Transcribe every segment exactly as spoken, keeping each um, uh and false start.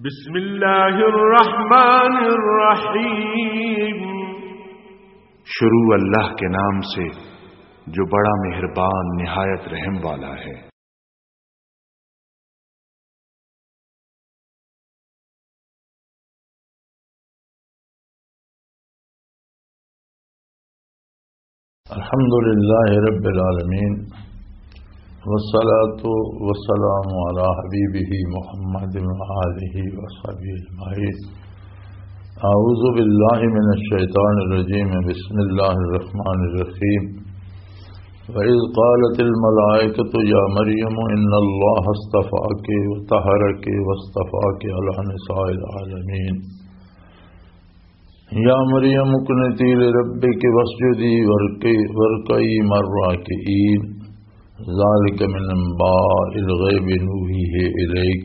بسم اللہ الرحمن الرحیم۔ شروع اللہ کے نام سے جو بڑا مہربان نہایت رحم والا ہے۔ الحمد لله رب العالمين، والصلاة والسلام على حبيبه محمد وآله وصحبه أجمعين. أعوذ بالله من الشيطان الرجيم. بسم الله الرحمن الرحيم. وإذ قالت الملائكة يا مريم إن الله اصطفاك وطهرك واصطفاك على نساء العالمين. يا مريم اقنتي لربك واسجدي واركعي، واركعي مع الراكعين. ذلك من أنباء الغيب نوحيه إليك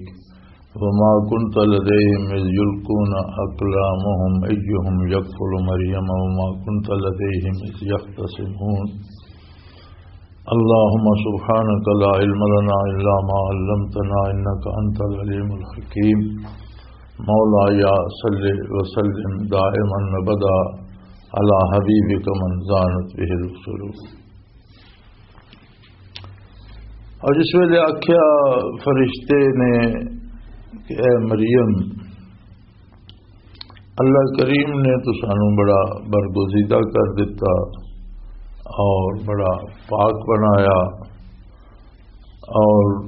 وما كنت لديهم إذ يلقون أقلامهم أيهم يكفل مريم وما كنت لديهم إذ يختصمون. اللهم سبحانك لا علم لنا إلا ما علمتنا إنك أنت العليم الحكيم. مولاي صل وسلم دائما أبدا على حبيبك من زانت به القلوب. اور جس ویلے آکھیا فرشتے نے کہ اے مریم، اللہ کریم نے تو سانو بڑا برگزیدہ کر دیتا اور بڑا پاک بنایا، اور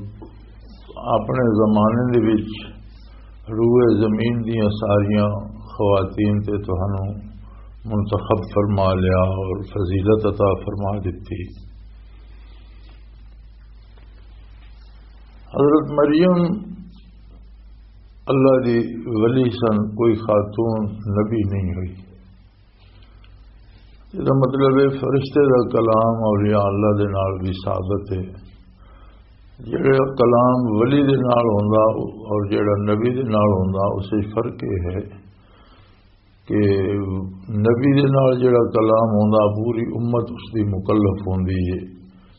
اپنے زمانے دے وچ روئے زمین دیاں ساریاں خواتین تے تہانوں منتخب فرما لیا اور فضیلت عطا فرما دیتی۔ حضرت مریم اللہ دی ولی سن، کوئی خاتون نبی نہیں ہوئی۔ اس کا مطلب ہے فرشتے دا کلام اولیاء اللہ دے نال بھی ثابت ہے۔ جڑا کلام ولی دے نال ہوندا اور جڑا نبی دے نال ہوندا، اس وچ فرق یہ ہے کہ نبی دے نال جڑا کلام ہوندا، پوری امت اس دی مکلف ہوندی ہے۔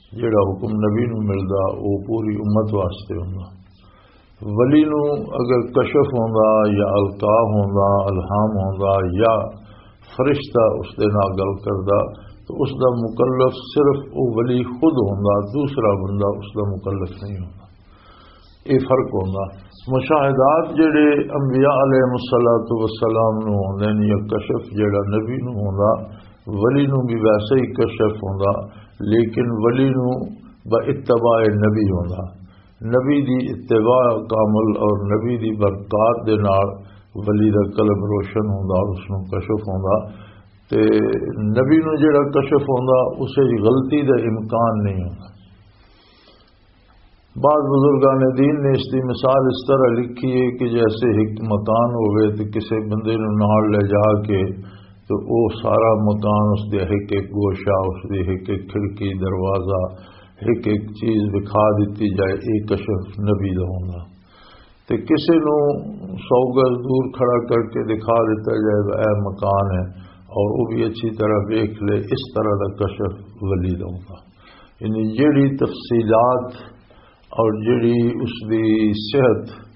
جڑا حکم نبی نو ملدا، وہ پوری امت واسطے ہوندا۔ ولی نو اگر کشف ہوندا یا القا ہوندا، الہام ہوندا یا فرشتہ اس دے نال گل کردا، تو اس دا مکلف صرف او ولی خود ہوندا، دوسرا بندہ اس دا مکلف نہیں ہوندا۔ یہ فرق ہوندا۔ مشاہدات جڑے انبیاء علیہ الصلوۃ والسلام نو ہوندے نے یا کشف جڑا نبی نو ہوندا، ولی نو بھی ویسے ہی کشف ہوندا، لیکن ولی نو با اتباع نبی ہوندا۔ نبی دی اتباع کامل اور نبی دی برکات دے نال ولی دا قلب روشن ہوندا، اس نو کشف ہوندا۔ تے نبی نو جڑا کشف ہوندا، اسے وچ غلطی دا امکان نہیں ہوندا۔ بعض بزرگان دین نے اس دی مثال اس طرح لکھی ہے کہ جیسے ایک مکان ہوئے تے کسے بندے نو نال لے جا کے تے او سارا مکان، اس دے ایک ایک گوشہ، اس دی ایک ایک کھڑکی، دروازہ، ایک ایک چیز دکھا دتی جائے، اے کشف نبی دا ہوندا۔ تے کسے نو سو گز دور کھڑا کر کے دکھا دیتا جائے، اے مکان ہے، اور وہ بھی اچھی طرح دیکھ لے، اس طرح دا کشف ولی دا ہوندا۔ یعنی جیڑی تفصیلات اور جیڑی اس دی صحت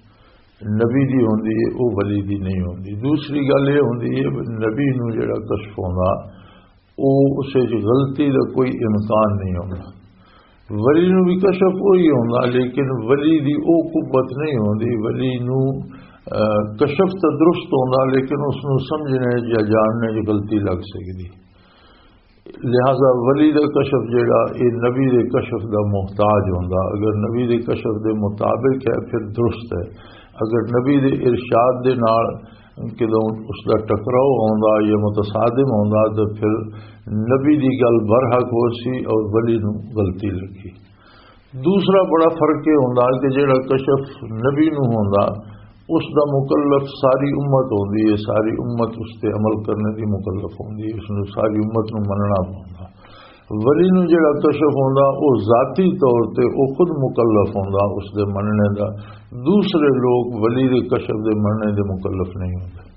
نبی دی ہوندی ہے، وہ ولی دی نہیں ہوندی۔ دوسری گل یہ ہوندی ہے، نبی نو جیڑا کشف ہوندا، او اس وچ غلطی دا کوئی امکان نہیں ہوندا۔ ولی نو بھی کشف وہی ہوندا، لیکن ولی دی او قوت نہیں ہوندی۔ ولی نو، آ، کشف تے درست ہوندا، لیکن اس نو سمجھنے یا جاننے وچ غلطی لگ سکدی۔ لہذا ولی دا کشف جیڑا، اے نبی دے کشف دا محتاج ہوندا۔ اگر نبی دے کشف دے مطابق ہے، پھر درست ہے۔ اگر نبی دے ارشاد دے نال کدوں اس دا ٹکراؤ ہوندا یا متصادم ہوندا، تو پھر نبی دی گل برحق ہو سی اور ولی نو غلطی لگی۔ دوسرا بڑا فرق یہ ہوندا کہ جڑا کشف نبی نو ہوندا، اس دا مکلف ساری امت ہوندی ہے، ساری امت اس تے عمل کرنے دی مکلف ہوندی ہے، اس نو ساری امت نو مننا پوندا۔ ولی نو جڑا کشف ہوندا، او ذاتی طور تے او خود مکلف ہوندا اس دے مننے دا، دوسرے لوگ ولی دے کشف دے مننے دے مکلف نہیں ہوندے۔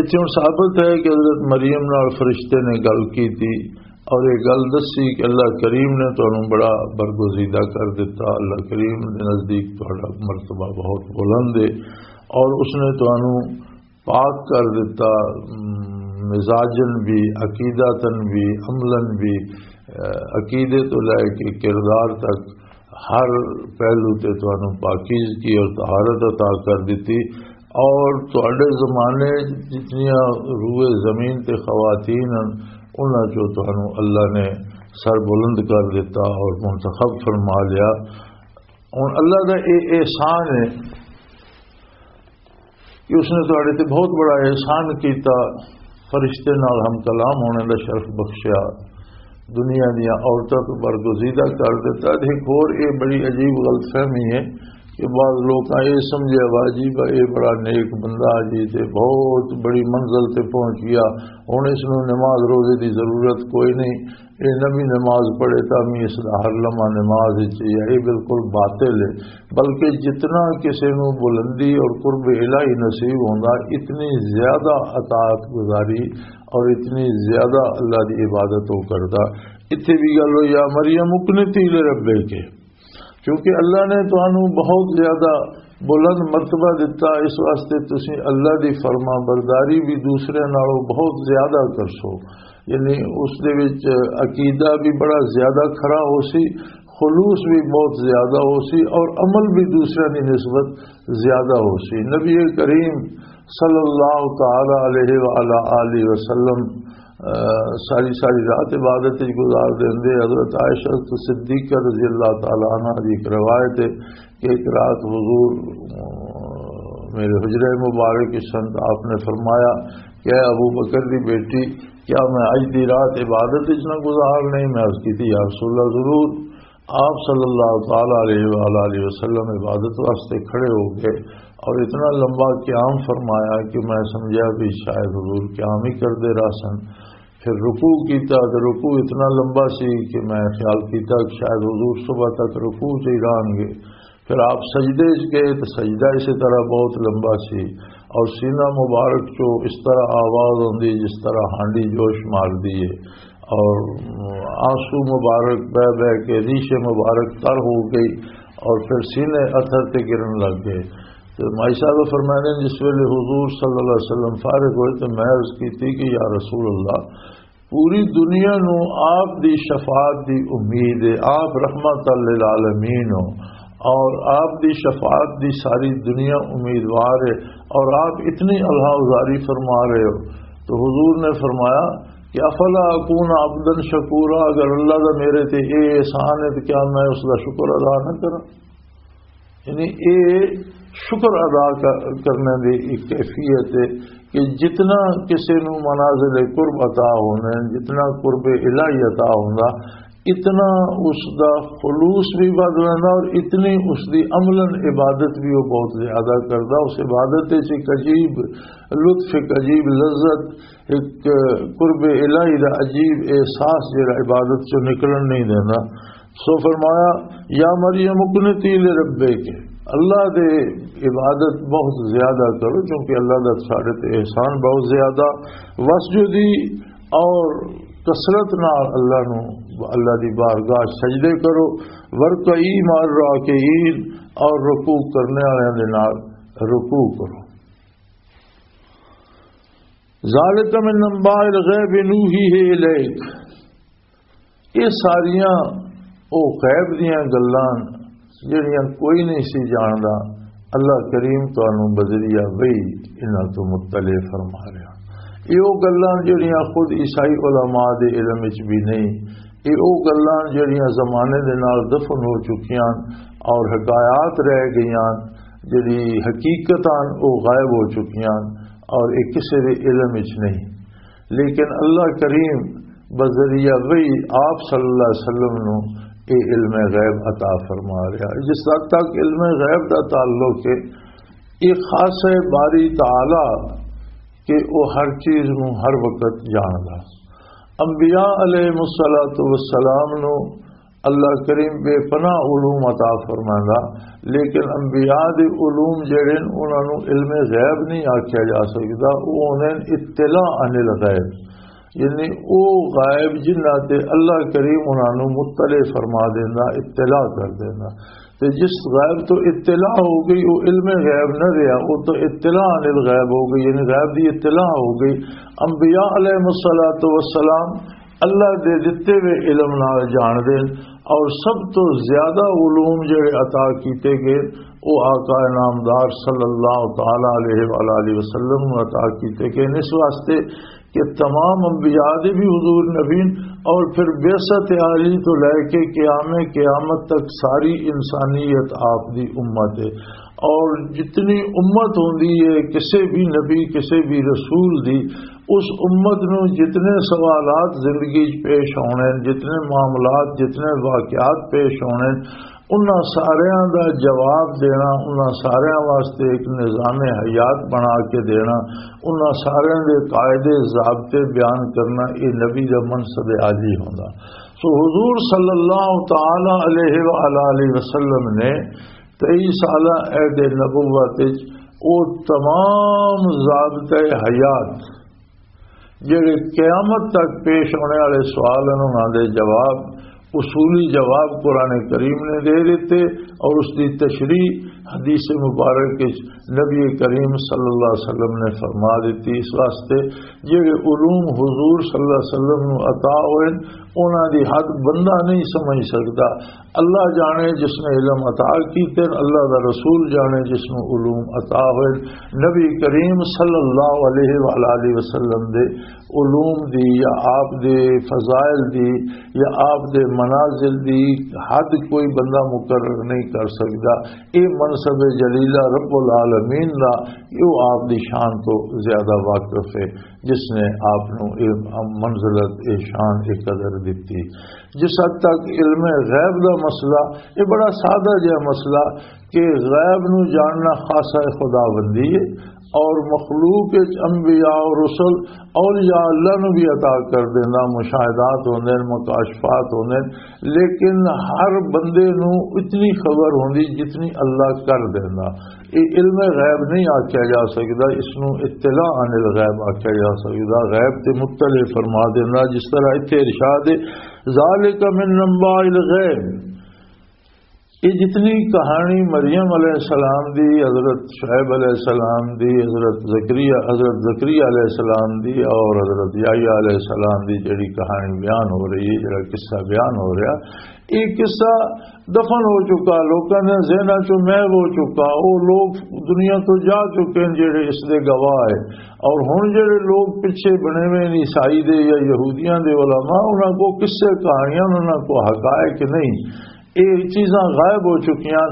اتھے ہن ثابت ہے کہ حضرت مریم نال فرشتے نے گل کیتی، اور یہ گل دسی کہ اللہ کریم نے تانوں بڑا برگزیدہ کر دیتا۔ اللہ کریم دے نزدیک تہاڈا مرتبہ بہت بلند ہے، اور اس نے تانوں پاک کر دیتا، م، مزاجن بھی، عقیدتاً بھی، عملاً بھی، اہ، عقیدے تو لے کے کردار تک ہر پہلو تے تانوں پاکیزگی اور طہارت عطا کر دتی، اور تہاڈے زمانے جتنیاں روئے زمین تے خواتین ہن، انہاں چوں تانوں اللہ نے سر بلند کر دیتا اور منتخب فرما لیا۔ ہن اللہ دا اے احسان ہے کہ اس نے تہاڈے تے بہت بڑا احسان کیتا، فرشتے نال ہم کلام ہونے دا شرف بخشیا، دنیا دیاں عورتاں تو برگزیدہ کر دیتا۔ تے ایک ہور اے بڑی عجیب غلط فہمی ہے کہ بعض لوکاں اے سمجھیا وا جی با اے بڑا نیک بندہ جی تے بہت بڑی منزل تے پہنچ گیا، ہن اس نوں نماز روزے دی ضرورت کوئی نہیں، اے نبی نماز پڑھے تاں بھی اس دا ہر لمحہ نماز وچ ہے، یہ بالکل باطل ہے۔ بلکہ جتنا کسی نوں بلندی اور قرب الہی نصیب ہوندا، اتنی زیادہ اطاعت گزاری اور اتنی زیادہ اللہ دی عبادت وہ کردا۔ اتھے بھی گل ہوئی، یا مریم اقنتی لربک، کیونکہ اللہ نے تانوں بہت زیادہ بلند مرتبہ دتا، اس واسطے تسی اللہ دی فرما برداری بھی دوسرے نالوں بہت زیادہ کرسو۔ یعنی اس دے وچ عقیدہ بھی بڑا زیادہ کھرا ہو سی، خلوص بھی بہت زیادہ ہو سی، اور عمل بھی دوسرے دی نسبت زیادہ ہو سی۔ نبی کریم صلی اللہ تعالی علیہ وآلہ آلہ وسلم، آ، ساری ساری رات عبادت وچ گزار دیندے۔ حضرت عائشہ صدیقہ رضی اللہ تعالی عنہا دی ایک روایت ہے کہ ایک رات حضور، آ، میرے حجرہ مبارک کے سن، آپ نے فرمایا کہ اے ابو بکر دی بیٹی، کیا میں اج دی رات عبادت وچ نہ گزار لیں؟ میں عرض کی تھی، یا رسول اللہ، ضرور۔ آپ صلی اللہ تعالی علیہ وآلہ وسلم عبادت واسطے کھڑے ہو گئے اور اتنا لمبا قیام فرمایا کہ میں سمجھا بھی شاید حضور قیام ہی کردے رہ سن۔ پھر رکوع کیتا تو رکوع اتنا لمبا سی کہ میں خیال کیتا کہ شاید حضور صبح تک رکوع چ ہی رہن گے۔ پھر آپ سجدے چ گئے تو سجدہ اسی طرح بہت لمبا سی، اور سینہ مبارک چو اس طرح آواز ہوندی جس طرح ہانڈی جوش مار دی ہے، اور آنسو مبارک بہ بہ کے ریش مبارک تر ہو گئی، اور پھر سینے اتھر تے گرن لگ گئے۔ تو مائی صاحب فرمانے، جس ویلے حضور صلی اللہ علیہ وسلم فارغ ہوئے تو میں عرض کی تھی کہ یا رسول اللہ، پوری دنیا نو آپ دی شفاعت دی امید ہے، آپ رحمت للعالمین ہو، اور آپ دی شفاعت دی ساری دنیا امیدوار ہے، اور آپ اتنی اللہ ازاری فرما رہے ہو۔ تو حضور نے فرمایا کہ افلا اکون عبدا شکورا، اگر اللہ دا میرے تے اے احسان ہے تو کیا میں اس دا شکر ادا نہ کراں؟ یعنی اے شکر ادا ک-، کرنے دی ایک کیفیت ہے کہ جتنا کسی نو منازل قرب عطا ہونے، جتنا قرب الہی عطا ہوندا، اتنا اس دا خلوص بھی ودھ ویندا اور اتنی اس دی عملاً عبادت بھی وہ بہت زیادہ کردا۔ اس عبادت وچ ایک عجیب لطف، ایک عجیب لذت، ایک قرب الہی دا عجیب احساس جڑا عبادت چوں نکلن نہیں دیندا۔ سو فرمایا، یا مریم اقنتی لربک، اللہ دے عبادت بہت زیادہ کرو، کیونکہ اللہ دا ساڈے تے احسان بہت زیادہ۔ وسجدی، اور کثرت نال اللہ نو، اللہ دی بارگاہ سجدے کرو۔ ورکعی مع الراکعین، اور رکوع کرنے والوں دے نال رکوع کرو۔ ذالک من انباء الغیب نوحیہ الیک، یہ ساریاں او غیب دیاں گلاں جڑیاں کوئی نہیں سی جاندا، اللہ کریم تانوں بذریعہ وحی انہاں تو مطلع فرما رہا۔ یہ او گلاں جڑیاں خود عیسائی علماء دے علم وچ بھی نہیں، یہ او گلاں جڑیاں زمانے دے نال دفن ہو چکیاں اور حکایات رہ گئیاں، جڑی حقیقتاں او غائب ہو چکیاں اور یہ کسے دے علم وچ نہیں۔ لیکن اللہ کریم بذریعہ وحی آپ صلی اللہ علیہ وسلم نو اے علم غیب عطا فرما رہا ہے۔ جس حد تک علم غیب دا تعلق ہے، یہ خاص ہے باری تعالی کہ وہ ہر چیز نو ہر وقت جاندا۔ انبیاء علیہ الصلوۃ والسلام نو اللہ کریم بے پناہ علوم عطا فرماندا، لیکن انبیاء دے علوم جڑے نے، انہاں نوں علم غیب نہیں آکھیا جا سکدا، او ہوندے نے اطلاع عن الغیب۔ یعنی او غائب جنہاں تے اللہ کریم انہاں نوں مطلع فرما دیندا، اطلاع کر دیندا۔ تے جس غائب تو اطلاع ہو گئی، او علم غیب نہ رہیا، او تو اطلاع عن الغیب ہو گئی، یعنی غیب دی اطلاع ہو گئی۔ انبیاء علیہ الصلوۃ والسلام اللہ دے دتے ہوئے علم نال جان دین، اور سب تو زیادہ علوم جڑے عطا کیتے گئے، او آقا نامدار صلی اللہ تعالی علیہ وآلہ وسلم نوں عطا کیتے گئے۔ اس واسطے کہ تمام انبیاء دے بھی حضور نبی، اور پھر بعثت عالی تو لے کے قیام قیامت تک ساری انسانیت آپ دی امت ہے۔ اور جتنی امت ہوندی ہے کسے بھی نبی، کسے بھی رسول دی، اس امت نوں جتنے سوالات زندگی چ پیش ہونے، جتنے معاملات، جتنے واقعات پیش ہونے، انہاں ساریاں دا جواب دینا، انہاں ساریاں واسطے ایک نظام حیات بنا کے دینا، انہاں ساریاں دے قاعدے ضابطے بیان کرنا، یہ نبی دا منصب عالی ہوندا۔ سو حضور صلی اللہ تعالی علیہ وآلہ وسلم نے تئی سالہ عہد نبوت وچ او تمام ضابطۂ حیات جڑے قیامت تک پیش ہونے والے سوال ہیں، انہاں دے جواب، اصولی جواب قرآن کریم نے دے دیتے، اور اس دی تشریح حدیث مبارک وچ نبی کریم صلی اللہ علیہ وسلم نے فرما دیتی۔ اس واسطے جڑے علوم حضور صلی اللہ علیہ وسلم نو عطا ہوئے، انہاں دی حد بندہ نہیں سمجھ سکدا۔ اللہ جانے جس نے علم عطا کیتے، اللہ دا رسول جانے جس نو علوم عطا ہوئے۔ نبی کریم صلی اللہ علیہ وآلہ وسلم دے علوم دی یا آپ دے فضائل دی یا آپ دے منازل دی حد کوئی بندہ مقرر نہیں کر سکدا۔ اے منصب جلیلہ رب العالمین دا، او آپ دی شان تو زیادہ واقف ہے، جس نے آپ نو اے منزلت، اے شان، اے قدر دتی۔ جس حد تک علم غیب دا مسئلہ، یہ بڑا سادہ جہا مسئلہ کہ غیب نو جاننا خاصہ خداوندی ہے، اور مخلوق وچ انبیاء اور رسل، اولیاء اللہ نو بھی عطا کر دینا، مشاہدات ہوندے نے، مکاشفات ہوندے نے، لیکن ہر بندے نو اتنی خبر ہوندی جتنی اللہ کر دینا۔ یہ علم غیب نہیں آکھیا جا سکدا، اس نو اطلاع عن الغیب آکھیا جا سکدا۔ غیب تے مطلع فرما دینا، جس طرح اتھے ارشاد ہے، ذالک من انباء الغیب۔ یہ جتنی کہانی مریم علیہ السلام دی، حضرت شعیب علیہ السلام دی، حضرت زکریا، حضرت زکریا علیہ السلام دی اور حضرت یحییٰ علیہ السلام دی جڑی کہانی بیان ہو رہی ہے، جڑا قصہ بیان ہو رہا، یہ قصہ دفن ہو چکا، لوکاں دے ذہناں چوں محو ہو چکا۔ وہ لوگ دنیا تو جا چکے ہیں جڑے اس دے گواہ ہے۔ اور ہن جڑے لوگ پیچھے بنے ہوئے نے عیسائی دے یا یہودیاں دے علماء، انہاں کو قصے کہانیاں، انہاں کو حقائق نہیں، یہ چیزاں غائب ہو چکیاں۔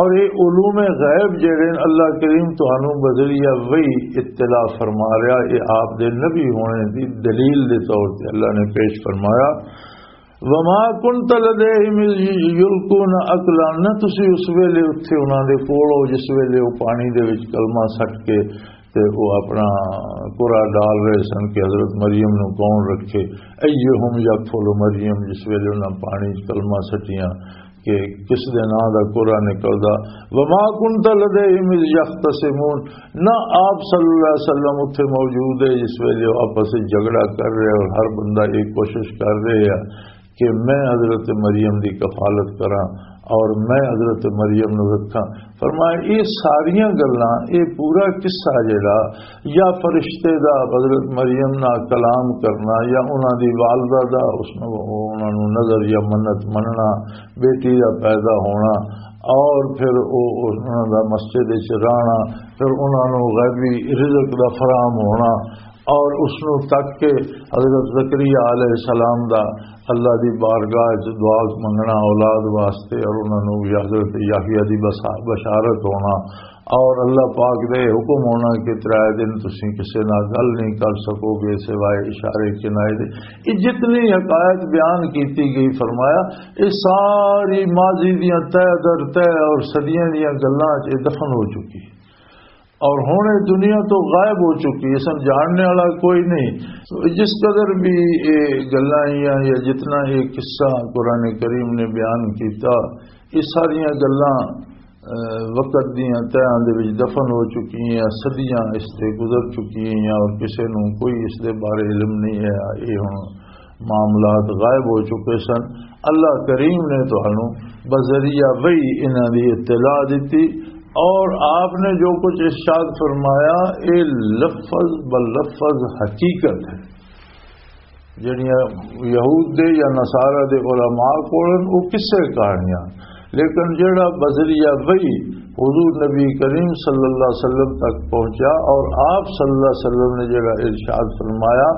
اور یہ علوم غیب جڑے نے، اللہ کریم تانوں بذریعہ وحی اطلاع فرما رہا، یہ آپ دے نبی ہونے دی دلیل دے طور تے اللہ نے پیش فرمایا۔ وما كنت لديهم إذ يلقون أقلامهم، نہ تسی اس ویلے اتھے انہاں دے کول ہو جس ویلے وہ پانی دے وچ کلمہ سٹ کے تے وہ اپنا کرا ڈال رہے سن کہ حضرت مریم نو کون رکھے۔ ایہم یکفل مریم، جس ویلے انہاں پانی وچ کلمہ سٹیاں کہ کس دے نام دا کرا نکلدا۔ وما كنت لديهم إذ يختصمون، نہ آپ صلی اللہ علیہ وسلم اتھے موجود ہے جس ویلے وہ آپس وچ جھگڑا کر رہے اور ہر بندہ ایک کوشش کر رہے ہے کہ میں حضرت مریم دی کفالت کراں اور میں حضرت مریم نو رکھاں۔ فرمایا، یہ ساریاں گلاں، یہ پورا قصہ جڑا، یا فرشتے دا حضرت مریم نال کلام کرنا، یا انہاں دی والدہ دا اس نو، انہاں نو نظر یا منت مننا، بیٹی دا پیدا ہونا، اور پھر او، انہاں دا مسجد وچ رہنا، پھر انہاں نو غیبی رزق دا فراہم ہونا، اور اس نو تک کے حضرت زکریا علیہ السلام دا اللہ دی بارگاہ وچ دعا منگنا اولاد واسطے، اور انہاں نو بھی حضرت یحییٰ دی بسا-، بشارت ہونا، اور اللہ پاک دے حکم ہونا کہ ترے دن تسی کسے نال گل نہیں کر سکو گے سوائے اشارے کنائے دے۔ یہ جتنی حقائق بیان کیتی گئی، فرمایا، یہ ساری ماضی دیاں تہ در تہ اور صدیاں دیاں گلاں چ دفن ہو چکی۔ اور ہن یہ دنیا تو غائب ہو چکی، اس نوں جاننے والا کوئی نہیں۔ تو جس قدر بھی یہ گلاں یا، یا جتنا یہ قصہ قرآن کریم نے بیان کیتا، یہ ساریاں گلاں وقت دیاں تہاں دے وچ دفن ہو چکی ہیں، صدیاں اس تے گزر چکی ہیں اور کسے نوں کوئی اس دے بارے علم نہیں ہے۔ یہ ہن معاملات غائب ہو چکے سن۔ اللہ کریم نے تانوں بذریعہ وحی انہاں دی اطلاع دتی اور آپ نے جو کچھ ارشاد فرمایا، یہ لفظ بلفظ حقیقت ہے۔ جڑیاں یہود دے یا نصارہ دے علماء کولن، وہ قصے کہانیاں، لیکن جڑا بذریعہ وحی حضور نبی کریم صلی اللہ علیہ وسلم تک پہنچا اور آپ صلی اللہ علیہ وسلم نے جڑا ارشاد فرمایا،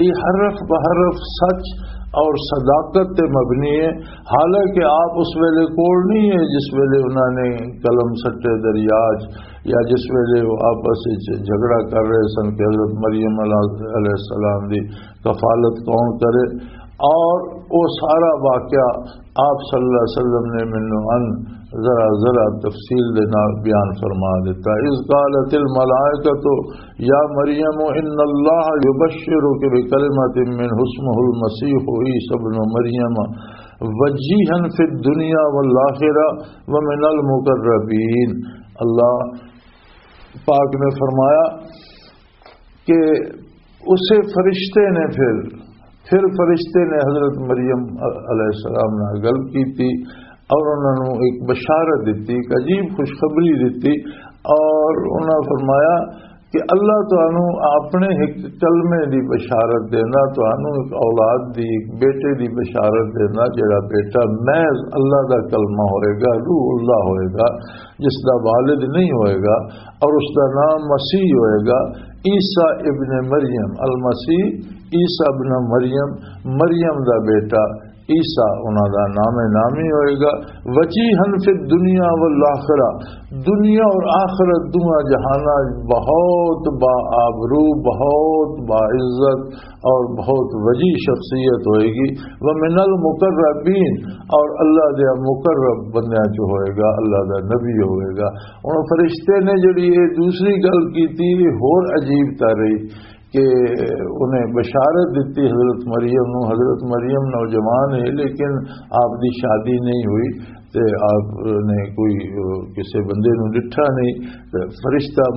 یہ حرف بحرف سچ اور صداقت تے مبنی ہے۔ حالانکہ آپ اس ویلے کول نہیں ہے جس ویلے انہاں نے قلم سٹے دریا چ، یا جس ویلے وہ آپس وچ جھگڑا کر رہے سن کہ حضرت مریم علیہ السلام دی کفالت کون کرے، اور وہ سارا واقعہ آپ صلی اللہ علیہ وسلم نے مینوں ان ذرا ذرا تفصیل دے نال بیان فرما دیتا۔ اذ قالت الملائکۃ یا مریم ان اللہ یبشرک بکلمۃ منہ اسمہ المسیح عیسی ابن مریم وجیہا فی الدنیا والآخرہ ومن المقربین۔ اللہ پاک نے فرمایا کہ اسے فرشتے نے پھر، پھر فرشتے نے حضرت مریم علیہ السلام نال گل کی تھی اور انہوں نے ایک بشارت دیتی، ایک عجیب خوشخبری دیتی، اور انہوں نے فرمایا کہ اللہ تانوں اپنے ایک کلمے دی بشارت دینا، تانوں ایک اولاد دی، ایک بیٹے دی بشارت دینا، جڑا بیٹا محض اللہ دا کلمہ ہوئے گا، روح اللہ ہوئے گا، جس دا والد نہیں ہوئے گا، اور اس دا نام مسیح ہوئے گا، عیسیٰ ابن مریم، المسیح عیسیٰ ابن مریم، مریم دا بیٹا عیسیٰ انہاں دا نام نامی ہوئے گا۔ وجیہا فی الدنیا والآخرہ، دنیا اور آخرت دونوں جہاناں بہت با آبرو، بہت با عزت اور بہت وجیح شخصیت ہوئے گی۔ ومن المقربین، اور اللہ دے مقرب بندیاں چ ہوئے گا، اللہ دا نبی ہوئے گا۔ ہن فرشتے نے جڑی یہ دوسری گل کی تھی، یہ ہور عجیب تر رہی کہ انہیں بشارت دیتی حضرت مریم نو۔ حضرت مریم نوجوان ہے، لیکن آپ دی شادی نہیں ہوئی، تے آپ نے کوئی، آ، کسے بندے نو ڈٹھا نہیں۔ تے فرشتہ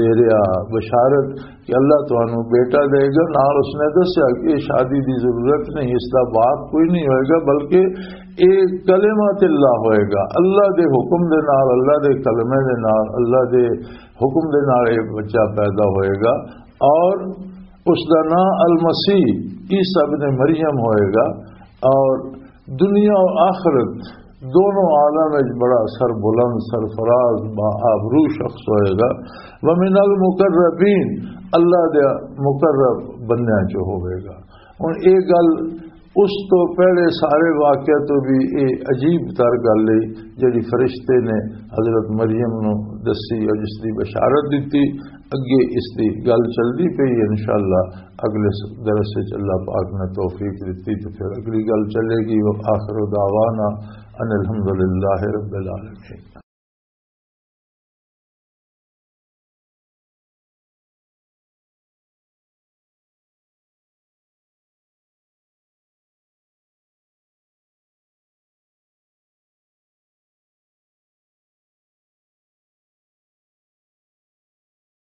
دے رہا بشارت کہ اللہ تانوں بیٹا دے گا۔ نال اس نے دسیا کہ یہ شادی دی ضرورت نہیں، اس دا باپ کوئی نہیں ہوئے گا، بلکہ یہ کلمۃ اللہ ہوئے گا، اللہ دے حکم دے نال، اللہ دے کلمے دے نال، اللہ دے حکم دے نال یہ بچہ پیدا ہوئے گا۔ اور اس دا نام المسیح عیسیٰ ابن مریم ہوئے گا، اور دنیا اور آخرت دونوں عالم وچ بڑا سربلند، سرفراز، با آبرو شخص ہوئے گا۔ ومن المقربین، اللہ دے مقرب بندیاں چ ہوئے گا۔ ہن یہ گل اس تو پہلے سارے واقعہ تو بھی یہ عجیب تر گل ہے، جڑی فرشتے نے حضرت مریم نو دسی اور جس دی بشارت دتی۔ اگے اس دی گل چلدی پئی ہے، انشاءاللہ اگلے درس وچ اللہ پاک نے توفیق دتی تو پھر اگلی گل چلے گی۔ وآخر دعوانا ان الحمدللہ رب العالمین۔